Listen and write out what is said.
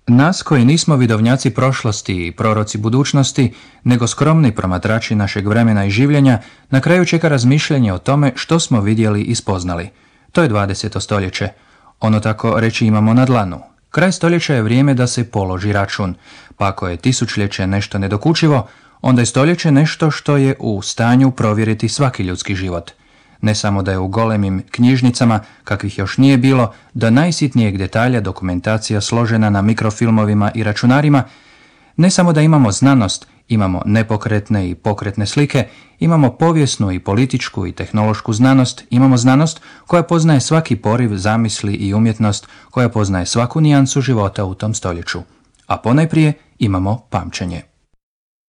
Nas koji nismo vidovnjaci prošlosti i proroci budućnosti, nego skromni promatrači našeg vremena i življenja, na kraju čeka razmišljanje o tome što smo vidjeli i spoznali. To je 20. stoljeće. Ono tako reći imamo na dlanu. Kraj stoljeća je vrijeme da se položi račun, pa ako je tisućljeće nešto nedokučivo, onda je stoljeće nešto što je u stanju provjeriti svaki ljudski život. Ne samo da je u golemim knjižnicama, kakvih još nije bilo, do najsitnijeg detalja dokumentacija složena na mikrofilmovima i računarima, ne samo da imamo znanost, imamo nepokretne i pokretne slike, imamo povijesnu i političku i tehnološku znanost, imamo znanost koja poznaje svaki poriv zamisli i umjetnost, koja poznaje svaku nijansu života u tom stoljeću. A ponajprije imamo pamćenje.